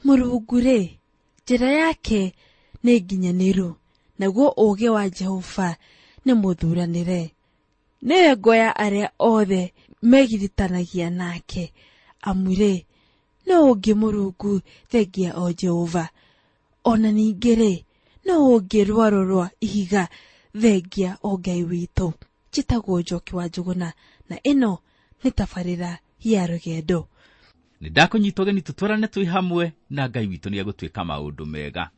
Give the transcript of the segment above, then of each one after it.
Mũrungu-rĩ, njĩra yake nĩ nginyanĩru, naguo ũũgĩ wa Jehova nĩ mũthuranĩre. Nĩwe ngo ya arĩa othe megiritanagia nake, amu-rĩ, nũũ ũngĩ Mũrungu thengia o Jehova? Ona ningĩ-rĩ, nũũ ũngĩ rwaro rwa ihiga thengia o Ngai witũ? Njĩtagwo Njoki wa Njũgũna, na ĩno nĩ tabarĩra ya rũgendo. Nĩ ndakũnyita ũgeni tũtwarane twĩ hamwe na Ngai witũ nĩ egũtwĩka maũndũ mega.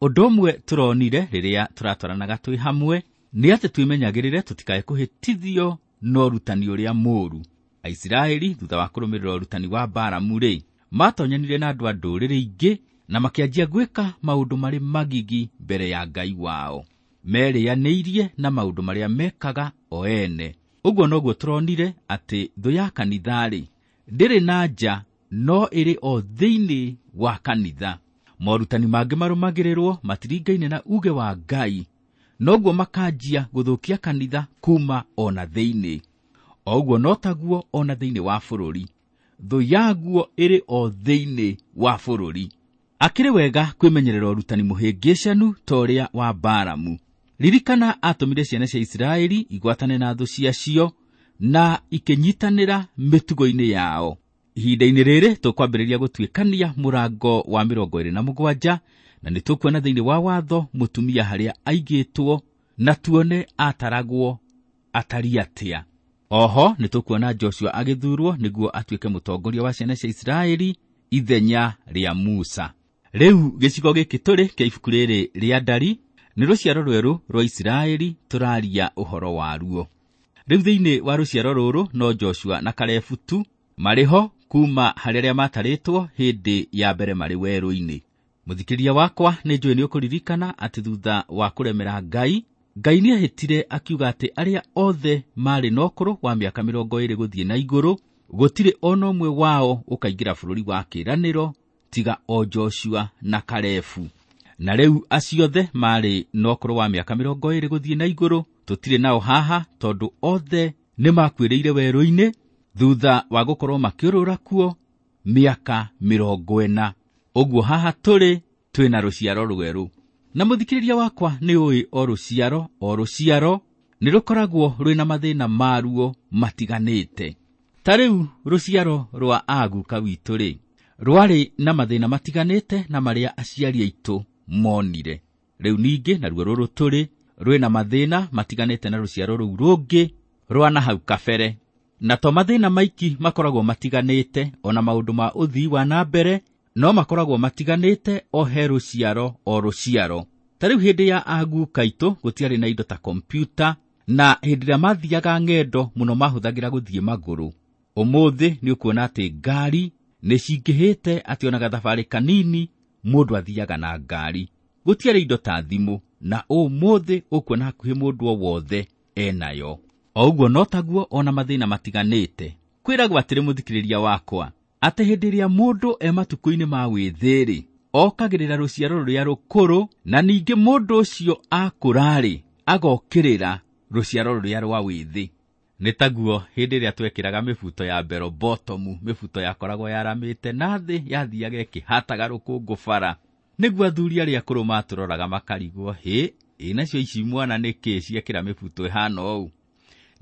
Ũndũ ũmwe tũronire rĩrĩa tũratwaranaga twĩ hamwe nĩ atĩ twĩmenyagĩrĩre tũtikae kũhĩtithio na ũrutani ũrĩa mũũru. Aisiraeli thutha wa kũrũmĩrĩra ũrutani wa Balamu-rĩ, matonyanire na andũ a ndũrĩrĩ ingĩ na makĩanjia gwĩka maũndũ marĩ magigi mbere ya Ngai wao. Merĩanĩirie na maũndũ marĩa mekaga o ene. Ũguo noguo tũronire atĩ thũ ya kanitha-rĩ, ndĩrĩ na nja no ĩrĩ o thĩinĩ wa kanitha. Morutani mangĩ marũmagĩrĩrwo matiringaine na uge wa Ngai, noguo makanjia gũthũkia kanitha kuma ona thĩinĩ. O ũguo no taguo ona thĩinĩ wa bũrũri, thũ yaguo ĩrĩ o thĩinĩ wa bũrũri. Akĩrĩ wega kwĩmenyerera ũrutani mũhĩngĩcanu ta ũrĩa wa Balamu. Ririkana atũmire ciana cia Isiraeli igwatane na thũ ciacio na ikĩnyitanĩra mĩtugo-inĩ yao. Ihinda-inĩ rĩrĩ tũkwambĩrĩria gũtuĩkania mũrango wa 27, na nĩ tũkuona thĩinĩ wa watho mũtumia harĩa aigĩtwo na tuone ataragwo atari atĩa. Oho nĩ tũkuona Joshua agĩthurwo nĩguo atuĩke mũtongoria wa ciana cia Isiraeli ithenya rĩa Musa. Rĩu gĩcigo gĩkĩ tũrĩ kĩa ibuku rĩrĩ rĩa Ndari nĩ rũciaro rwerũ rwa Isiraeli tũraria ũhoro waruo. Rĩu thĩinĩ wa rũciaro rũrũ no Joshua na Kalebu tu marĩ ho kuma harĩ arĩa matarĩtwo hĩndĩ ya mbere marĩ werũ-inĩ. Mũthikĩria wakwa, nĩ njũĩ nĩ ũkũririkana atĩ thutha wa kũremera Ngai, Ngai nĩehĩtire akiuga atĩ arĩa othe marĩ na ũkũrũ wa mĩaka 20 gũthiĩ na igũrũ, gũtirĩ ona ũmwe wao ũkaingĩra bũrũri wa kĩĩranĩro tiga o Joshua na Kalebu. Na rĩu acio othe marĩ na ũkũrũ wa mĩaka 20 gũthiĩ na igũrũ, tũtirĩ nao haha tondũ othe nĩmakuĩrĩire werũ-inĩ thutha wa gũkorwo makĩũrũra kuo mĩaka 40. Ũguo haha tũrĩ twĩna rũciaro rwerũ. Na mũthikĩrĩria wakwa nĩ ũĩ o rũciaro o rũciaro nĩ rũkoragwo rwĩna mathĩna maruo matiganĩte. Ta rĩu rũciaro rwa aguka witũ-rĩ, rwarĩ na mathĩna matiganĩte na marĩa aciari aitũ monire. Rĩu ningĩ naruo rũrũ tũrĩ rwĩna mathĩna matiganĩte na rũciaro rũu rũngĩ rwa na hau kabere. Na to mathĩna maiki makoragwo matiganĩte, ona maũndũ ma ũthii wa na mbere no makoragwo matiganĩte o he rũciaro o rũciaro. Ta rĩu hĩndĩ ya aguka aitũ gũtiarĩ na indo ta kompyuta, na hĩndĩ ĩrĩa mathiaga ng'endo mũno mahũthagĩra gũthiĩ magũrũ. Ũmũthĩ nĩ ũkuona atĩ ngari nĩ cingĩhĩte, atĩ ona gathabarĩ kanini mũndũ athiaga na ngari. Gũtiarĩ indo ta thimũ, na ũmũthĩ ũkuona hakuhĩ mũndũ o wothe enayo. O ũguo no taguo ona mathĩna matiganĩte. Kwĩragwo atĩrĩ mũthikĩrĩria wakwa, atĩ hĩndĩ ĩrĩa mũndũ e matukũ-inĩ ma wĩthĩ-rĩ, okagĩrĩra rũciaro rũrĩa rũkũrũ, na ningĩ mũndũ ũcio akũra-rĩ, agokĩrĩra rũciaro rũrĩa rwa wĩthĩ. Nĩ taguo hĩndĩ ĩrĩa twekĩraga mĩbuto ya bell bottom, mĩbuto yakoragwo yaramĩte na thĩ yathiaga ĩkĩhataga rũkũngũ bara. Nĩguo athuri arĩa akũrũ matũroraga makarigwo, hĩ, ĩ nacio ici mwana nĩkĩ ciekĩra mĩbuto ĩhana ũũ?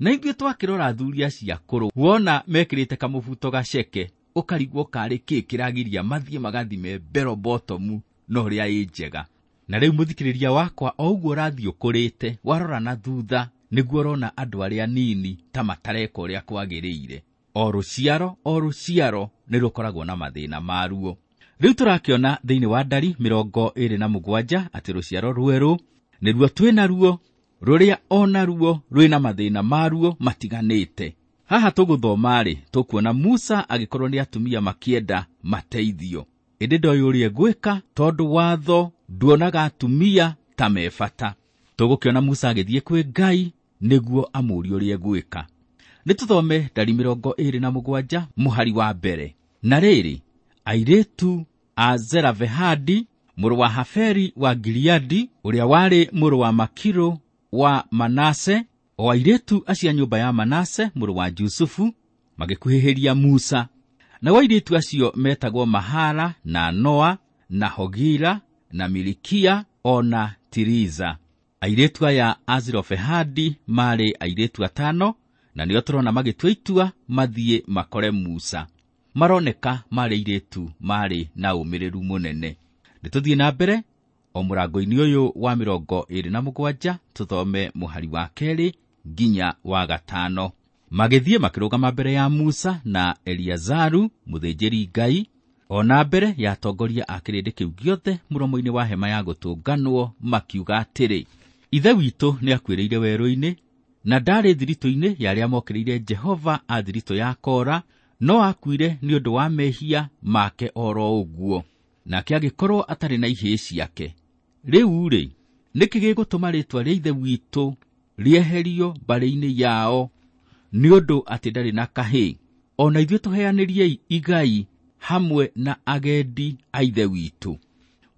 Na ithuĩ twakĩrora athuri acio akũrũ, wona mekĩrĩte kamũbuto gaceke, ũkarigwo karĩ kĩ kĩragiria mathiĩ magathime bell bottom na ũrĩa ĩ njega. Na rĩu mũthikĩrĩria wakwa, o ũguo ũrathiĩ ũkũrĩte, warora na thutha, nĩguo ũrona andũ arĩa anini ta matareka ũrĩa kwagĩrĩire. O rũciaro o rũciaro nĩ rũkoragwo na mathĩna maruo. Rĩu tũrakĩona thĩinĩ wa Ndari 27 atĩ rũciaro rwerũ nĩruo twĩnaruo, rũrĩa onaruo rwĩna mathĩna maruo matiganĩte. Haha tũgũthoma-rĩ, tũkuona Musa agĩkorwo nĩ atumia makĩenda mateithio. Ĩndĩ ndoĩ ũrĩa egwĩka tondũ watho nduonaga atumia ta me bata. Tũgũkĩona Musa agĩthiĩ kwĩ Ngai nĩguo amũũrie ũrĩa egwĩka. Nĩ tũthome Ndari 27 mũhari wa mbere. Na rĩrĩ, airĩtu a Zelavehadi mũrũ wa Haferi wa Gileadi, ũrĩa warĩ mũrũ wa Makiru wa Manase, o airĩtu acio a nyũmba ya Manase mũrũ wa Jusufu, magĩkuhĩhĩria Musa. Nao airĩtu acio metagwo Mahala na Noa na Hogila na Milikia o na Tiriza. Airĩtu aya a Zelofehadi maarĩ airĩtu 5, na nĩo tũrona magĩtua itua mathiĩ makore Musa. Maroneka maarĩ airĩtu maarĩ na ũmĩrĩru mũnene. Nĩtũthiĩ na mbere o mũrango-inĩ ũyũ wa 27 tũthome mũhari wa 2 nginya wa 5. Magĩthiĩ makĩrũgama mbere ya Musa na Eliazaru mũthĩnjĩri Ngai, o na mbere ya atongoria a kĩrĩndĩ kĩu gĩothe mũromo-inĩ wa hema ya gũtũnganwo, makiuga atĩrĩ, Ithe witũ nĩakuĩrĩire werũ-inĩ, na ndarĩ thiritũ-inĩ ya arĩa mokĩrĩire Jehova a thiritũ ya Kora, no akuire nĩ ũndũ wa mehia make oro ũguo, nake agĩkorwo atarĩ na ihĩĩ ciake. Rĩu-rĩ, nĩkĩ gĩgũtũma rĩĩtwa rĩa Ithe witũ rĩeherio mbarĩ-inĩ yao nĩ ũndũ atĩ ndarĩ na kahĩĩ? O na ithuĩ tũheanĩriei igai hamwe na agendi a Ithe witũ.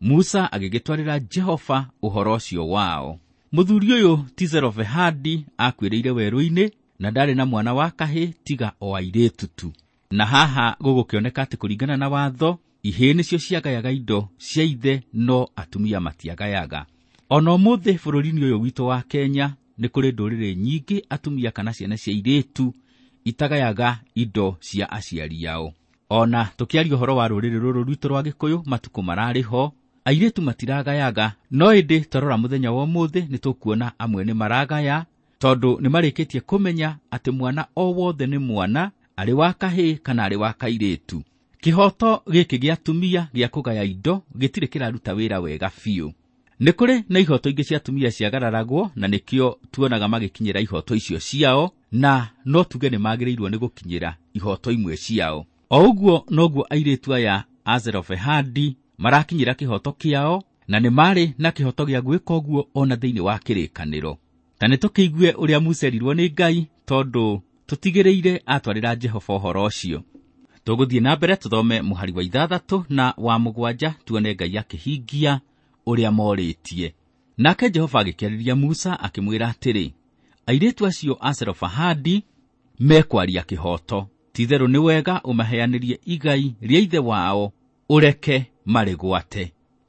Musa agĩgĩtwarĩra Jehova ũhoro ũcio wao. Mũthuri ũyũ ti Zelofehadi akuĩrĩire werũ-inĩ, na ndarĩ na mwana wa kahĩĩ tiga o airĩtu tu. Na haha gũgũkĩoneka atĩ kũringana na watho, ihĩĩ nĩcio ciagayaga indo cia ithe, no atumia matiagayaga. Ona ũmũthĩ bũrũri-inĩ ũyũ witũ wa Kenya nĩ kũrĩ ndũrĩrĩ nyingĩ atumia kana ciana cia airĩtu itagayaga indo cia aciari ao. Ona tũkĩaria ũhoro wa rũrĩrĩ rũrũ rwitũ rwa Gĩkũyũ, matukũ mararĩ ho airĩtu matiragayaga, no ĩndĩ twarora mũthenya wa ũmũthĩ nĩ tũkuona amwe nĩ maragaya, tondũ nĩ marĩkĩtie kũmenya atĩ mwana o wothe nĩ mwana, arĩ wa kahĩĩ kana arĩ wa kairĩtu. Kĩhoto gĩkĩ gĩa atumia gĩa kũgaya indo gĩtirĩ kĩraruta wĩra wega biũ. Nĩ kũrĩ na ihoto ingĩ cia atumia ciagararagwo, na nĩkĩo tuonaga magĩkinyĩra ihoto icio ciao, na no tuge nĩ magĩrĩirwo nĩ gũkinyĩra ihoto imwe ciao. O ũguo noguo airĩtu aya a Zelofehadi marakinyĩra kĩhoto kĩao, na nĩ marĩ na kĩhoto gĩa gwĩka ũguo ona thĩinĩ wa kĩrĩkanĩro. Ta nĩ tũkĩigue ũrĩa Musa erirwo nĩ Ngai, tondũ tũtigĩrĩire atwarĩra Jehova ũhoro ũcio. Tũgũthiĩ na mbere tũthome mũhari wa 6 na wa 7 tuone Ngai akĩhingia ũrĩa morĩtie. Nake Jehova agĩkĩarĩria Musa akĩmwĩra atĩrĩ, airĩtu acio a Zelofehadi mekwaria kĩhoto, ti-itherũ nĩ wega ũmaheanĩrie igai rĩa ithe wao, ũreke marĩgwate.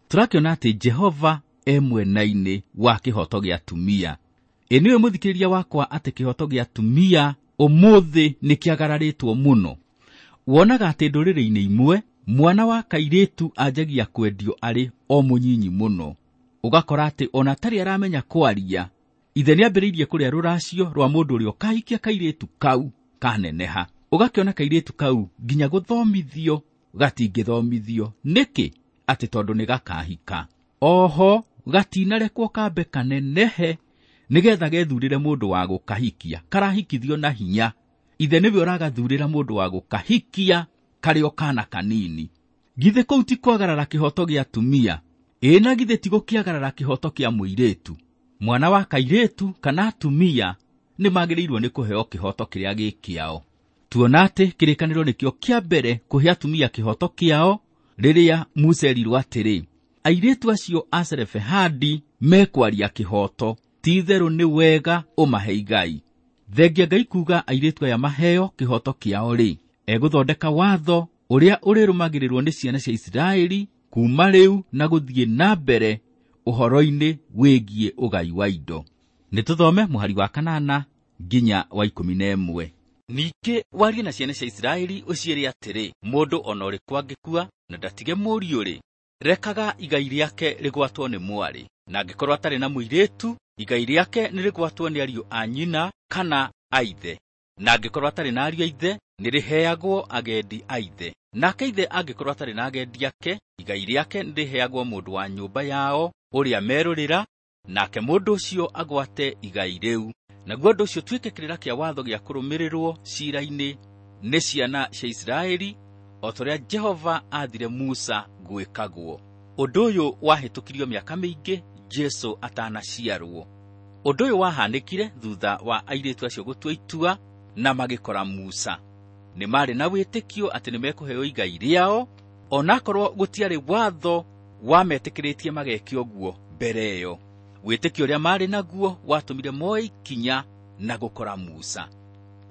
Tũrakĩona atĩ Jehova e mwena-inĩ wa kĩhoto gĩa atumia. Ĩ nĩwe mũthikĩrĩria wakwa atĩ kĩhoto gĩa atumia ũmũthĩ nĩ kĩagararĩtwo mũno. Wonaga atĩ ndũrĩrĩ-inĩ imwe mwana wa kairĩtu anjagia kwendio arĩ o mũnyinyi mũno, ũgakora atĩ ona atarĩ aramenya kwaria, ithe nĩambĩrĩirie kũrĩa rũracio rwa mũndũ ũrĩa ũkahikia kairĩtu kau kaneneha. Ũgakĩona kairĩtu kau nginya gũthomithio gatingĩthomithio. Nĩkĩ? Atĩ tondũ nĩ gakahika. Oho gatinarekwo kambe kanenehe nĩgetha gethurĩre mũndũ wa gũkahikia. Karahikithio na hinya, ithe nĩwe ũragathurĩra mũndũ wa gũkahikia karĩ o kana kanini. Githĩ kũu ti kwagarara kĩhoto gĩa atumia? Ĩ na githĩ ti gũkĩagarara kĩhoto kĩa mũirĩtu? Mwana wa kairĩtu kana atumia nĩ magĩrĩirwo nĩ kũheo kĩhoto kĩrĩa gĩ kĩao. Tuona atĩ kĩrĩkanĩro nĩkĩo kĩa mbere kũhe atumia kĩhoto kĩao, rĩrĩa Musa erirwo atĩrĩ, airĩtu acio a Zelofehadi mekwaria kĩhoto, ti-itherũ nĩ wega ũmahe igai. Thengia Ngai kuga airĩtu aya maheo kĩhoto kĩao rĩ, egũthondeka watho ũrĩa ũrĩrũmagĩrĩrwo nĩ ciana cia Isiraeli kuma rĩu na gũthiĩ na mbere ũhoro-inĩ wĩgiĩ ũgai wa indo. Nĩ tũthome mũhari wa 8 nginya wa 11. Ningĩ warie na ciana cia Isiraeli ũciĩre atĩrĩ, mũndũ ona ũrĩkũ angĩkua na ndatige mũriũ rĩ, rekaga igai rĩake rĩgwatwo nĩ mwarĩ, na angĩkorwo atarĩ na mũirĩtu, igai rĩake nĩ rĩgwatwo nĩ ariũ a nyina kana a ithe, na angĩkorwo atarĩ na ariũ a ithe, nĩ rĩheagwo agendi a ithe. Nake ithe angĩkorwo atarĩ na agendi ake, igai rĩake nĩ rĩheagwo mũndũ wa nyũmba yao ũrĩa merũrĩra, nake mũndũ ũcio agwate igai rĩu. Naguo ũndũ ũcio ũtuĩke kĩrĩra kĩa watho gĩa kũrũmĩrĩrwo ciira-inĩ nĩ ciana cia Isiraeli, o ta ũrĩa Jehova aathire Musa gwĩkagwo. Ũndũ ũyũ wahĩtũkirio mĩaka mĩingĩ Jesũ atanaciarwo. Ũndũ ũyũ wahanĩkire thutha wa airĩtu acio gũtua itua na magĩkora Musa. Nĩ marĩ na wĩtĩkio atĩ nĩ mekũheo igai rĩao, onakorwo gũtiarĩ watho wametĩkĩrĩtie mageke ũguo mbere ĩyo. Wĩtĩkio ũrĩa marĩ naguo watũmire moe ikinya na gũkora Musa.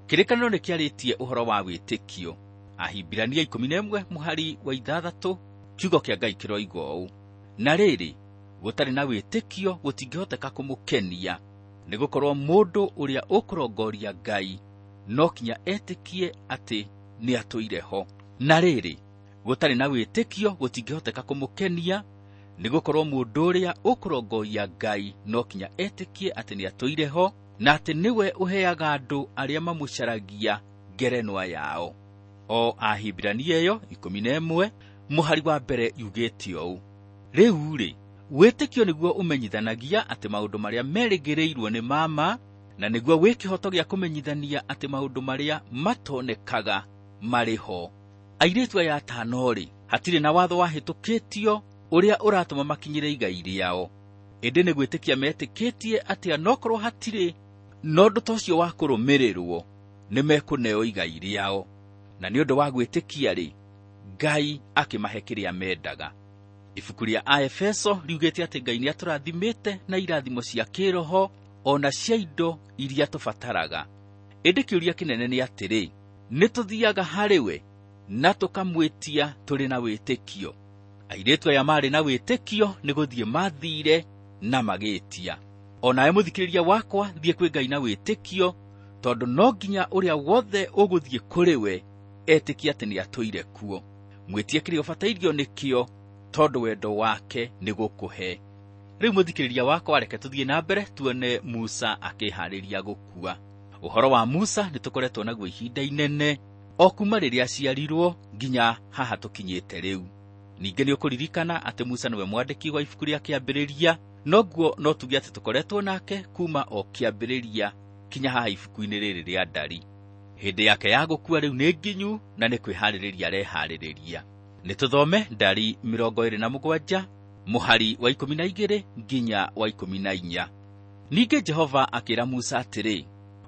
Kĩrĩkanĩro nĩ kĩarĩtie ũhoro wa wĩtĩkio. Ahibirania 11 mũhari wa 6 Kiugo kĩa Ngai kĩroiga ũũ: na rĩrĩ, gũtarĩ na wĩtĩkio gũtingĩhoteka kũmũkenia, nĩgũkorwo mũndũ ũrĩa ũkũrongoria Ngai no kinya etĩkie atĩ nĩatũire ho. Na rĩrĩ, gũtarĩ na wĩtĩkio gũtingĩhoteka kũmũkenia, nĩgũkorwo mũndũ ũrĩa ũkũrongoria Ngai no kinya etĩkie atĩ nĩatũire ho, na atĩ nĩwe ũheaga andũ arĩa mamũcaragia ngerenwa yao. O Ahibirania ĩyo 11 mũhari wa mbere yugĩte ũũ: rĩu rĩ, wĩtĩkio nĩguo ũmenyithanagia atĩ maũndũ marĩa merĩgĩrĩirwo nĩ mama, na nĩguo wĩ kĩhoto gĩa kũmenyithania atĩ maũndũ marĩa matonekaga marĩ ho. Airĩtu aya atano rĩ, hatirĩ na watho wahĩtũkĩtio ũrĩa ũratũma makinyĩre igai rĩao, ĩndĩ nĩ gwĩtĩkia metĩkĩtie atĩ anokorwo hatirĩ na ũndũ ta ũcio wa kũrũmĩrĩrwo, nĩ mekũneo igai rĩao. Na nĩ ũndũ wa gwĩtĩkia rĩ, Ngai akĩmahe kĩrĩa mendaga. Ibuku rĩa Aefeso riugĩte atĩ Ngai nĩatũrathimĩte na irathimo cia kĩroho ona cia indo iria tũbataraga. Ĩndĩ kĩũria kĩnene nĩ atĩrĩ, nĩ tũthiaga harĩ we na tũkamwĩtia tũrĩ na wĩtĩkio? Airĩtu aya marĩ na wĩtĩkio nĩ gũthiĩ mathire na magĩtia. Onawe mũthikĩrĩria wakwa, thiĩ kwĩ Ngai na wĩtĩkio, tondũ no nginya ũrĩa wothe ũgũthiĩ kũrĩ we etĩkie atĩ nĩatũire kuo. Mwĩtie kĩrĩa ũbatairio nĩkĩo, tondũ wendo wake nĩ gũkũhe. Rĩu mũthikĩrĩria wakwa, reke tũthiĩ na mbere tuone Musa akĩharĩria gũkua. Ũhoro wa Musa nĩ tũkoretwo naguo ihinda inene, o kuma rĩrĩa aciarirwo nginya haha tũkinyĩte rĩu. Ningĩ nĩ ũkũririkana atĩ Musa nĩwe mwandĩki wa ibuku rĩa Kĩambĩrĩria, noguo no tuge atĩ tũkoretwo nake kuma o kĩambĩrĩria kinya haha ibuku-inĩ rĩrĩ rĩa Ndari. Hĩndĩ yake ya gũkua rĩu nĩ nginyu na nĩ kwĩharĩrĩria areharĩrĩria. Nĩ tũthome Ndari 27 mũhari wa 12 nginya wa 14. Ningĩ Jehova akĩra Musa atĩrĩ,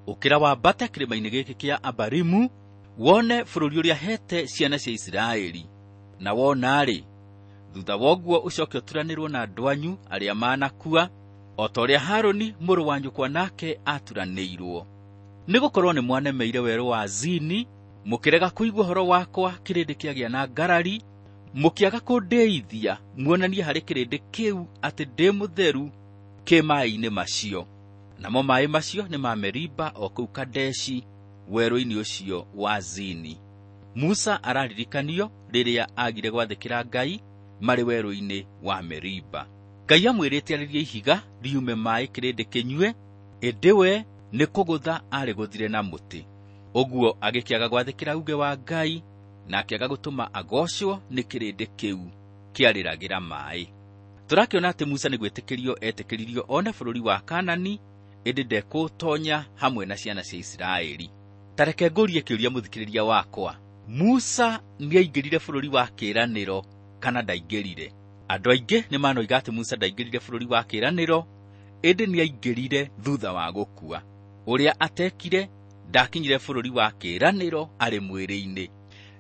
ũkĩra wambate kĩrĩma-inĩ gĩkĩ kĩa Abarimu, wone bũrũri ũrĩa hete ciana cia Isiraeli. Na wona-rĩ, thutha wa ũguo ũcoke ũturanĩrwo na andũ anyu arĩa manakua, o ta ũrĩa Harũni mũrũ wa nyũkwa nake aturanĩirwo. Nĩgũkorwo nĩ mwanemeire werũ wa Zini, mũkĩrega kũigua ũhoro wakwa kĩrĩndĩ kĩagĩa na ngarari, mũkĩaga kũndĩithia muonanie harĩ kĩrĩndĩ kĩu atĩ ndĩ mũtheru kĩ maaĩ-inĩ macio. Namo maaĩ macio nĩ ma Meriba o kũu Kadeshi, werũ-inĩ ũcio wa Zini. Musa araririkanio rĩrĩa agire gwathĩkĩra Ngai marĩ werũ-inĩ wa Meriba. Ngai amwĩrĩte arĩrie ihiga riume maaĩ kĩrĩndĩ kĩnyue, ĩndĩ we nĩ kũgũtha arĩgũthire na mũtĩ. Ũguo agĩkĩaga gwathĩkĩra uge wa Ngai na akĩaga gũtũma agocwo nĩ kĩrĩndĩ kĩu kĩarĩragĩra maaĩ. Tũrakĩona atĩ Musa nĩ gwĩtĩkĩrio etĩkĩririo one bũrũri wa Kanani, ĩndĩ ndekũũtonya hamwe na ciana cia Isiraeli. Ta reke ngũrie kĩũria mũthikĩrĩria wakwa, Musa nĩaingĩrire bũrũri wa kĩĩranĩro kana ndaingĩrire? Andũ aingĩ nĩ manoiga atĩ Musa ndaingĩrire bũrũri wa kĩĩranĩro, ĩndĩ nĩaingĩrire thutha wa gũkua. Ũrĩa atekire, ndakinyire bũrũri wa kĩĩranĩro arĩ mwĩrĩ-inĩ.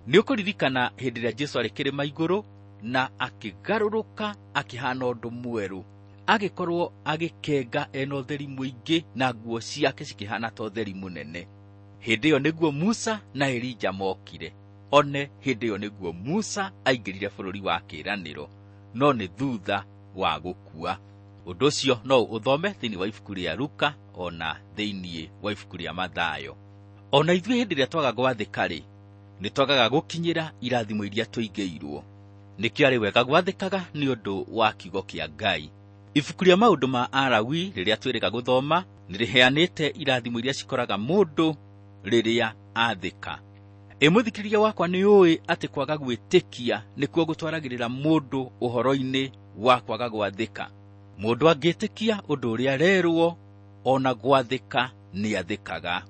Nĩ ũkũririkana hĩndĩ ĩrĩa Jesũ arĩ kĩrĩma igũrũ na akĩgarũrũka akĩhana ũndũ mwerũ, agĩkorwo agĩkenga ena ũtheri mũingĩ na nguo ciake cikĩhana ta ũtheri mũnene. Hĩndĩ ĩyo nĩguo Musa na Elija mokire. One hĩndĩ ĩyo nĩguo Musa aingĩrire bũrũri wa kĩĩranĩro, no nĩ thutha wa gũkua. Ũndũ ũcio no ũthome thĩinĩ wa ibuku rĩa Luka ona thĩinĩ wa ibuku rĩa Mathayo. Ona ithuĩ hĩndĩ ĩrĩa twaga gwathĩka-rĩ, nĩ twagaga gũkinyĩra irathimo iria tũigĩirwo. Nĩkĩo arĩ wega gwathĩkaga nĩ ũndũ wa kiugo kĩa Ngai. Ibuku rĩa maũndũ ma Alawi rĩrĩa twĩrĩga gũthoma nĩ rĩheanĩte irathimo iria cikoraga mũndũ rĩrĩa athĩka. Ĩ mũthikĩrĩria wakwa, nĩ ũĩ atĩ kwaga gwĩtĩkia nĩkuo gũtwaragĩrĩra mũndũ ũhoro-inĩ wa kwaga gwathĩka. Mũndũ angĩtĩkia ũndũ ũrĩa arerwo, ona gwathĩka nĩathĩkaga.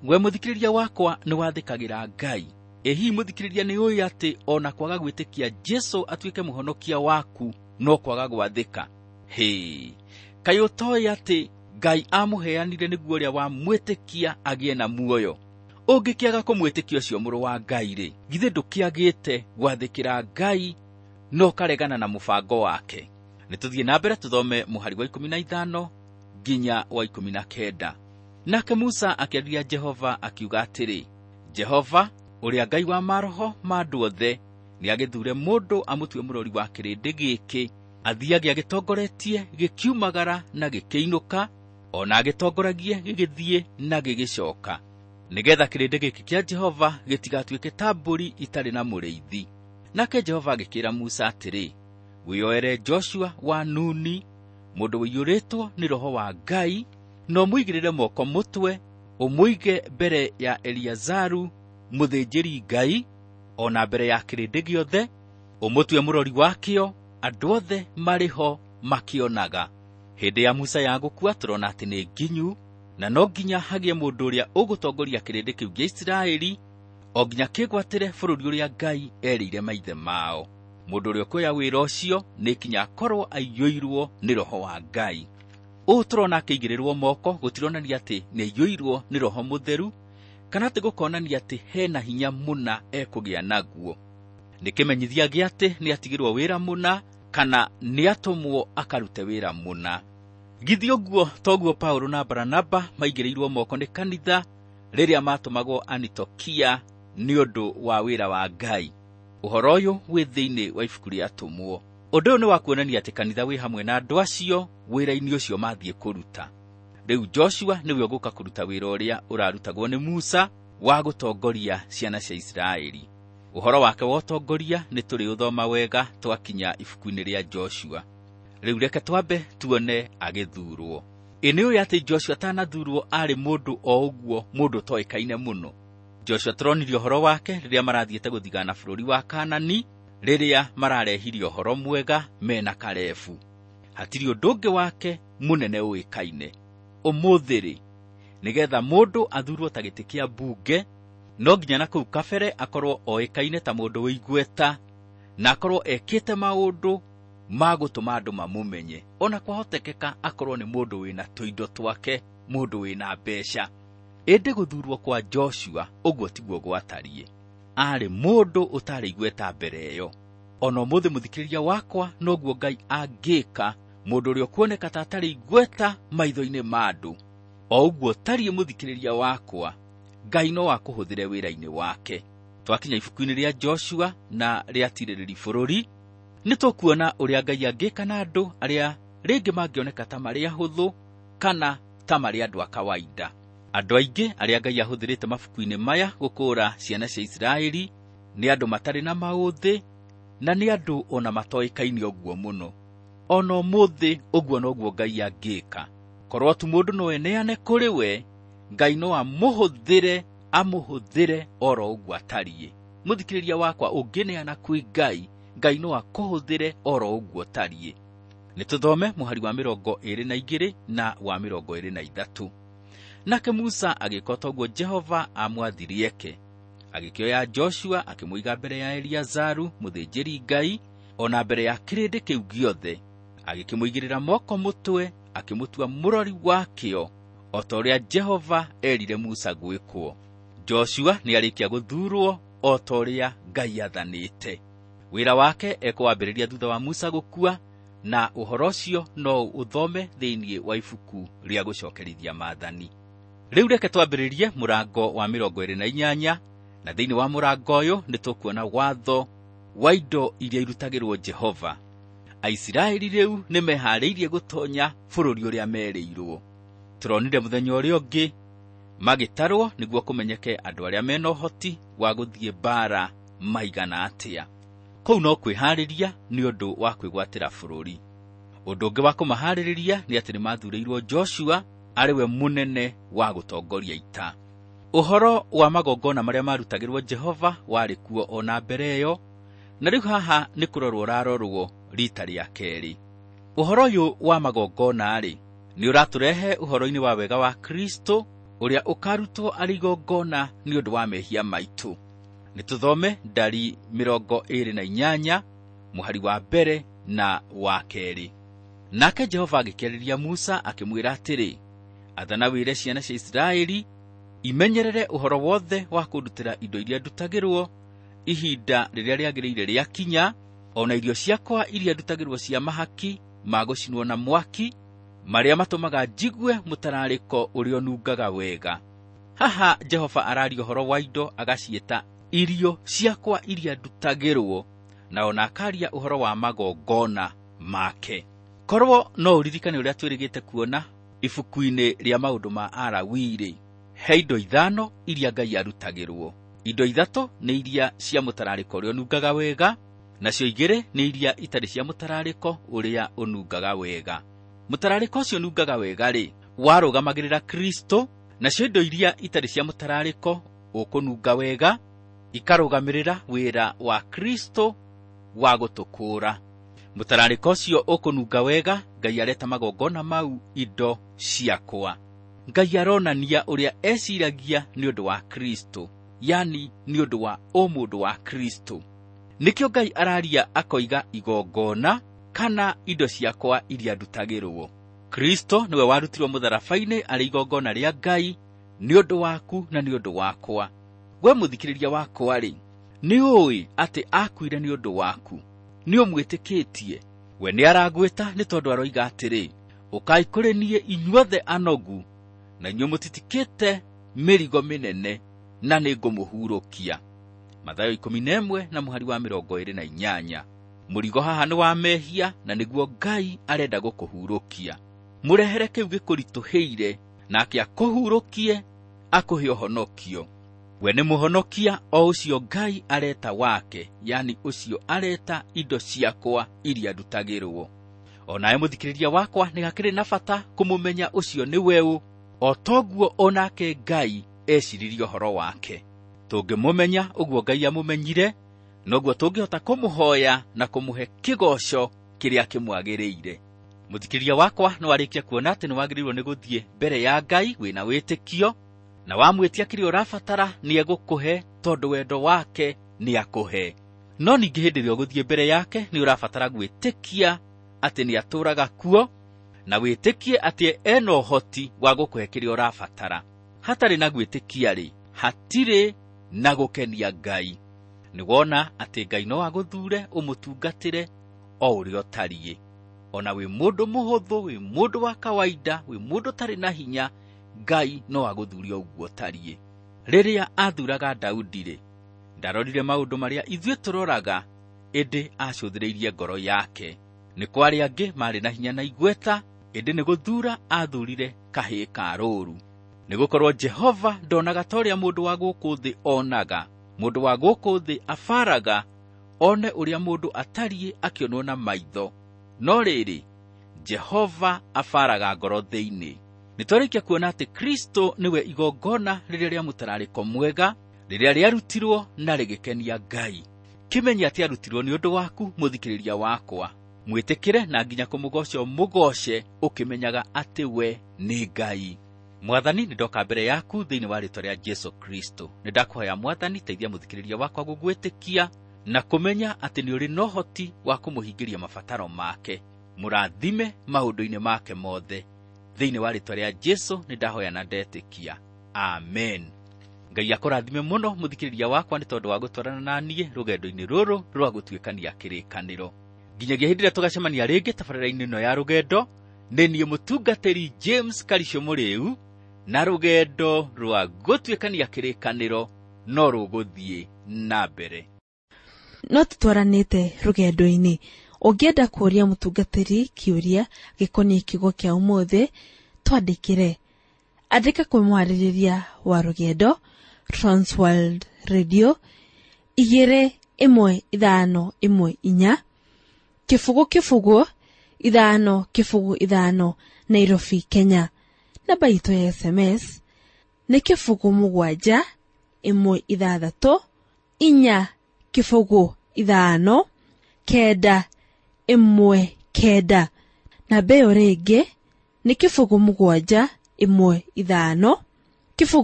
We mũthikĩrĩria wakwa, nĩ wathĩkagĩra Ngai. Ĩ hihi mũthikĩrĩria nĩ ũĩ atĩ ona kwaga gwĩtĩkia Jesũ atuĩke mũhonokia waku no kwaga gwathĩka? Hĩ, kaĩ ũtoĩ atĩ Ngai amũheanire nĩguo ũrĩa wamwĩtĩkia agĩe na muoyo? Ũngĩkĩaga kũmwĩtĩkia ũcio mũrũ wa Ngai rĩ, githĩ ndũkĩagĩte gwathĩkĩra Ngai no ũkaregana na mũbango wake? Nĩ tũthiĩ na mbere tũthome mũhari wa 15 nginya wa 19. Nake Musa akĩarĩria Jehova akiuga atĩrĩ, Jehova, ũrĩa Ngai wa maroho ma andũ othe, Nĩagĩthure mũndũ amũtue mũrori wa kĩrĩndĩ gĩkĩ, athiage agĩtongoretie gĩkiumagara na gĩkĩinũka, ona agĩtongoragie gĩgĩthiĩ na gĩgĩcoka, nĩgetha kĩrĩndĩ gĩkĩ kĩa Jehova gĩtigatuĩke ta mbũri itarĩ na mũrĩithi. Nake Jehova agĩkĩĩra Musa atĩrĩ, wĩyoere Joshua wa Nuni, mũndũ ũiyũrĩtwo nĩ roho wa Ngai, na ũmũigĩrĩre moko mũtwe, ũmũige mbere ya Eliazaru mũthĩnjĩri Ngai, o na mbere ya kĩrĩndĩ gĩothe, ũmũtue mũrori wakĩo, andũ othe marĩ ho makĩonaga. Hĩndĩ ya Musa ya gũkua tũrona atĩ nĩ nginyu, na no nginya hagĩe mũndũ ũrĩa ũgũtongoria kĩrĩndĩ kĩu gĩa Isiraeli o nginya kĩgwatĩre bũrũri ũrĩa Ngai erĩire maithe mao. Mũndũ ũrĩa ũkuoya wĩra ũcio nĩ kinya akorwo aiyũirwo nĩ roho wa Ngai. Ũũ tũrona akĩigĩrĩrwo moko gũtironania atĩ nĩ aiyũirwo nĩ roho mũtheru, kana atĩ gũkonania atĩ hena hinya mũna ekũgĩa naguo. Nĩ kĩmenyithia gĩa atĩ nĩ atigĩrwo wĩra mũna, kana nĩ atũmwo akarute wĩra mũna. Githĩ ũguo toguo Paulo na Baranaba maigĩrĩirwo moko nĩ kanitha rĩrĩa matũmagwo Anitokia nĩ ũndũ wa wĩra wa Ngai. Ũhoro ũyũ wĩ thĩinĩ wa ibuku rĩa Atũmwo. Ũndũ ũyũ nĩ wa kuonania atĩ kanitha wĩ hamwe na andũ acio wĩra-inĩ ũcio mathiĩ kũruta. Rĩu Joshua nĩwe ũgũka kũruta wĩra ũrĩa ũrarutagwo nĩ Musa wa gũtongoria ciana cia Isiraeli. Ũhoro wake wa ũtongoria nĩ tũrĩũthoma wega twakinya ibuku-inĩ rĩa Joshua. Rĩu reke twambe tuone agĩthurwo. Ĩ nĩ ũĩ atĩ Joshua atanathurwo aarĩ mũndũ o ũguo, mũndũ ũtoĩkaine mũno. Joshua tũronire ũhoro wake rĩrĩa marathiĩte gũthigana bũrũri wa Kanani, rĩrĩa mararehire ũhoro mwega mena Kalebu. Hatirĩ ũndũ ũngĩ wake mũnene ũĩkaine. Ũmũthĩ rĩ, nĩgetha mũndũ athurwo ta gĩtĩ kĩa mbunge, no nginya na kũu kabere akorwo oĩkaine ta mũndũ wĩ igweta, na akorwo ekĩte maũndũ ma gũtũma andũ mamũmenye. Ona kwahotekeka akorwo nĩ mũndũ wĩna tũindo twake, mũndũ wĩna mbeca. Ĩndĩ gũthurwo kwa Joshua ũguo tiguo gwatariĩ. Aarĩ mũndũ ũtarĩ igweta mbere ĩyo. Ona ũmũthĩ mũthikĩrĩria wakwa, noguo Ngai angĩka mũndũ ũrĩa ũkuoneka ta atarĩ igweta maitho-inĩ ma andũ. O ũguo tariĩ mũthikĩrĩria wakwa, Ngai no akũhũthĩre wĩra-inĩ wake. Twakinya ibuku-inĩ rĩa Joshua na rĩa Tirĩrĩri bũrũri, nĩ tũkuona ũrĩa Ngai angĩka na andũ arĩa rĩngĩ mangĩoneka ta marĩ ahũthũ kana ta marĩ andũ a kawaida. Andũ aingĩ arĩa Ngai ahũthĩrĩte mabuku-inĩ maya gũkũũra ciana cia Isiraeli nĩ andũ matarĩ na maũthĩ, na nĩ andũ ona matoĩkaine ũguo mũno. Ona ũmũthĩ ũguo noguo Ngai angĩka. Korwo tu mũndũ no eneane kũrĩ we, Ngai no amũhũthĩre, amũhũthĩre oro ũguo atariĩ. Mũthikĩrĩria wakwa, ũngĩneana kwĩ Ngai, Ngai no akũhũthĩre oro ũguo ũtariĩ. Nĩ tũthome mũhari wa 22 na wa 23. Nake Musa agĩka o ta ũguo Jehova aamwathire eke. Agĩkĩoya Joshua akĩmũiga mbere ya Eliazaru mũthĩnjĩri Ngai, o na mbere ya kĩrĩndĩ kĩu gĩothe. Agĩkĩmũigĩrĩra moko mũtwe, akĩmũtua mũrori wakĩo, o ta ũrĩa Jehova erire Musa gwĩkwo. Joshua nĩarĩkia gũthurwo o ta ũrĩa Ngai aathanĩte. Wĩra wake ekũwambĩrĩria thutha wa Musa gũkua, na ũhoro ũcio no ũthome thĩinĩ wa ibuku rĩa gũcokerithia maathani. Rĩu reke twambĩrĩrie mũrango wa 28, na thĩinĩ wa mũrango ũyũ nĩ tũkuona watho wa indo iria irutagĩrwo Jehova. Aisiraeli rĩu nĩ meharĩirie gũtonya bũrũri ũrĩa merĩirwo. Tũronire mũthenya ũrĩa ũngĩ magĩtarwo nĩguo kũmenyeke andũ arĩa mena ũhoti wa gũthiĩ mbaara maigana atĩa. Kũu no kwĩharĩria nĩ ũndũ wa kwĩgwatĩra bũrũri. Ũndũ ũngĩ wa kũmaharĩrĩria nĩ atĩ nĩmathurĩirwo Joshua arĩ we mũnene wa gũtongoria ita. Ũhoro wa magongona marĩa marutagĩrwo Jehova warĩ kuo o na mbere ĩyo, na rĩu haha nĩ kũrorwo ũrarorwo rita rĩa kerĩ. Ũhoro ũyũ wa magongona-rĩ, nĩ ũratũrehe ũhoro-inĩ wa wega wa Kristo ũrĩa ũkarutwo arĩ igongona nĩ ũndũ wa mehia maitũ. Nĩ tũthome ndari 28 mũhari wa mbere na wa kerĩ. Nake Jehova agĩkĩarĩria Musa akĩmwĩra atĩrĩ, athana wĩre ciana cia Isiraeli imenyerere ũhoro wothe wa kũndutĩra indo iria ndutagĩrwo ihinda rĩrĩa rĩagĩrĩire rĩakinya, o na irio ciakwa iria ndutagĩrwo cia mahaki ma gũcinwo na mwaki, marĩa matũmaga njigue mũtararĩko ũrĩa ũnungaga wega. Haha Jehova araria ũhoro wa indo agaciĩta irio ciakwa iria ndutagĩrwo, na ona akaria ũhoro wa magongona make. Korwo no ũririkane ũrĩa twĩrĩgĩte kuona ibuku-inĩ rĩa maũndũ ma Alawii-rĩ, he indo 5 iria Ngai arutagĩrwo. Indo 3 nĩ iria cia mũtararĩko ũrĩa ũnungaga wega, nacio 2 nĩ iria itarĩ cia mũtararĩko ũrĩa ũnungaga wega. Mũtararĩko ũcio ũnungaga wega-rĩ, warũgamagĩrĩra Kristo, nacio indo iria itarĩ cia mũtararĩko ũkũnunga wega ikarũgamĩrĩra wĩra wa Kristo wa gũtũkũũra. Mũtararĩko ũcio ũkũnunga wega, Ngai areta magongona mau indo ciakwa. Ngai aronania ũrĩa eciragia nĩ ũndũ wa Kristo, yani nĩ ũndũ wa ũmũndũ wa Kristo. Nĩkĩo Ngai araria akoiga igongona kana indo ciakwa iria ndutagĩrwo. Kristo nĩwe warutirwo mũtharaba-inĩ arĩ igongona rĩa Ngai nĩ ũndũ waku na nĩ ũndũ wakwa. We mũthikĩrĩria wakwa-rĩ, nĩ ũĩ atĩ akuire nĩ ũndũ waku? Nĩ ũmwĩtĩkĩtie? We nĩ aragwĩta nĩ tondũ aroiga atĩrĩ, ũkai kũrĩ niĩ inyuothe anogu na inyuĩ mũtitikĩte mĩrigo mĩnene, na nĩngũmũhurũkia. Mathayo 11 na mũhari wa 28. Mũrigo haha nĩ wa mehia na nĩguo Ngai arenda gũkũhurũkia. Mũrehere kĩu gĩkũritũhĩire, nake akũhurũkie, akũhe ũhonokio. We nĩ mũhonokia o ũcio Ngai areta wake, yani ũcio areta indo ciakwa iria ndutagĩrwo. O nawe mũthikĩrĩria wakwa nĩ hakĩrĩ na bata kũmũmenya ũcio nĩ weũ, o toguo onake Ngai eciririe ũhoro wake. Tũngĩmũmenya ũguo Ngai amũmenyire, noguo tũngĩhota kũmũhoya na kũmũhe kĩgoco kĩrĩa kĩmwagĩrĩire. Mũthikĩrĩria wakwa nĩ warĩkia kuona atĩ nĩ wagĩrĩirwo nĩ gũthiĩ mbere ya Ngai wĩna wĩtĩkio, na wamwĩtia kĩrĩa ũrabatara nĩ egũkũhe, tondũ wendo wake nĩ akũhe. No ningĩ hĩndĩ ĩrĩa ũgũthiĩ mbere yake nĩ ũrabatara gwĩtĩkia atĩ nĩ atũũraga kuo, na wĩtĩkie atĩ ena ũhoti wa gũkũhe kĩrĩa ũrabatara. Hatarĩ na gwĩtĩkia-rĩ, hatirĩ na gũkenia Ngai. Nĩ wona atĩ Ngai no agũthure ũmũtungatĩre o ũrĩa ũtariĩ. Ona wĩ mũndũ mũhũthũ, wĩ mũndũ wa kawaida, wĩ mũndũ ũtarĩ na hinya, Ngai no agũthure ũguo ũtariĩ. Rĩrĩa athuraga Daudi-rĩ, ndarorire maũndũ marĩa ithuĩ tũroraga, ĩndĩ acũthĩrĩirie ngoro yake. Nĩ kwarĩ angĩ marĩ na hinya na igweta, ĩndĩ nĩ gũthura athurire kahĩĩ ka rũũru. Nĩ gũkorwo Jehova ndonaga ta ũrĩa mũndũ wa gũkũ thĩ onaga. Mũndũ wa gũkũ thĩ abaraga one ũrĩa mũndũ atariĩ akĩonwo na maitho, no rĩrĩ, Jehova abaraga ngoro thĩinĩ. Nĩ twarĩkia kuona atĩ Kristo nĩwe igongona rĩrĩa rĩa mũtararĩko mwega, rĩrĩa rĩarutirwo na rĩgĩkenia Ngai. Kĩmenye atĩ arutirwo nĩ ũndũ waku mũthikĩrĩria wakwa. Mwĩtĩkĩre na nginya kũmũgoca ũmũgoce ũkĩmenyaga atĩ we nĩ Ngai. Mwathani, nĩ ndoka mbere yaku thĩinĩ wa rĩĩtwa rĩa Jesu Kristo. Nĩ ndakũhoya Mwathani, teithia mũthikĩrĩria wakwa gũgwĩtĩkia na kũmenya atĩ nĩ ũrĩ na ũhoti wa kũmũhingĩria mabataro make. Mũrathime maũndũ-inĩ make mothe. Thĩinĩ wa rĩĩtwa rĩa Jesu nĩ ndahoya na ndetĩkia. Amen. Ngai akũrathime mũno mũthikĩrĩria wakwa nĩ tondũ wa gũtwarana na niĩ rũgendo-inĩ rũrũ rwa gũtuĩkania kĩrĩkanĩro. Nginyagia hĩndĩ ĩrĩa tũgacemania rĩngĩ tabarĩra-inĩ ĩno ya rũgendo, nĩ niĩ mũtungatĩri James Karisho Mũrĩu, na rũgendo rwa gũtuĩkania kĩrĩkanĩro no rũgũthiĩ na mbere. No tũtwaranĩte rũgendo-inĩ. Ũngĩenda kũũria mũtungatĩri kĩũria gĩkoniĩ kiugo kĩa ũmũthĩ, twandĩkĩre. Andĩka kwĩ mwarĩrĩria wa rũgendo, Transworld Radio, 21514, 0 0 5 0 5, Nairobi, Kenya. Namba itũ ya SMS nĩ 0 7 1 6 4 0 5 9 1 9. Namba ĩyo rĩngĩ nĩ 0 7 1 5 0 7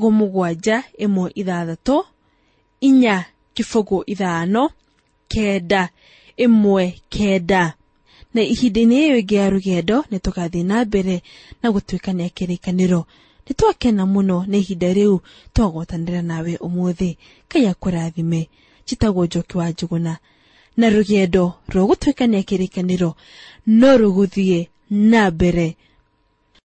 1 6 4 0 5 9 1 9. Na ihinda-inĩ ĩyo ĩngĩ ya rũgendo nĩ tũgathiĩ na mbere na gũtuĩkania kĩrĩkanĩro. Nĩ twakena mũno nĩ ihinda rĩu twagwatanĩra nawe ũmũthĩ. Ngai akũrathime. Njĩtagwo Njoki wa Njũgũna, na rũgendo rwa gũtuĩkania kĩrĩkanĩro no rũgũthiĩ na mbere.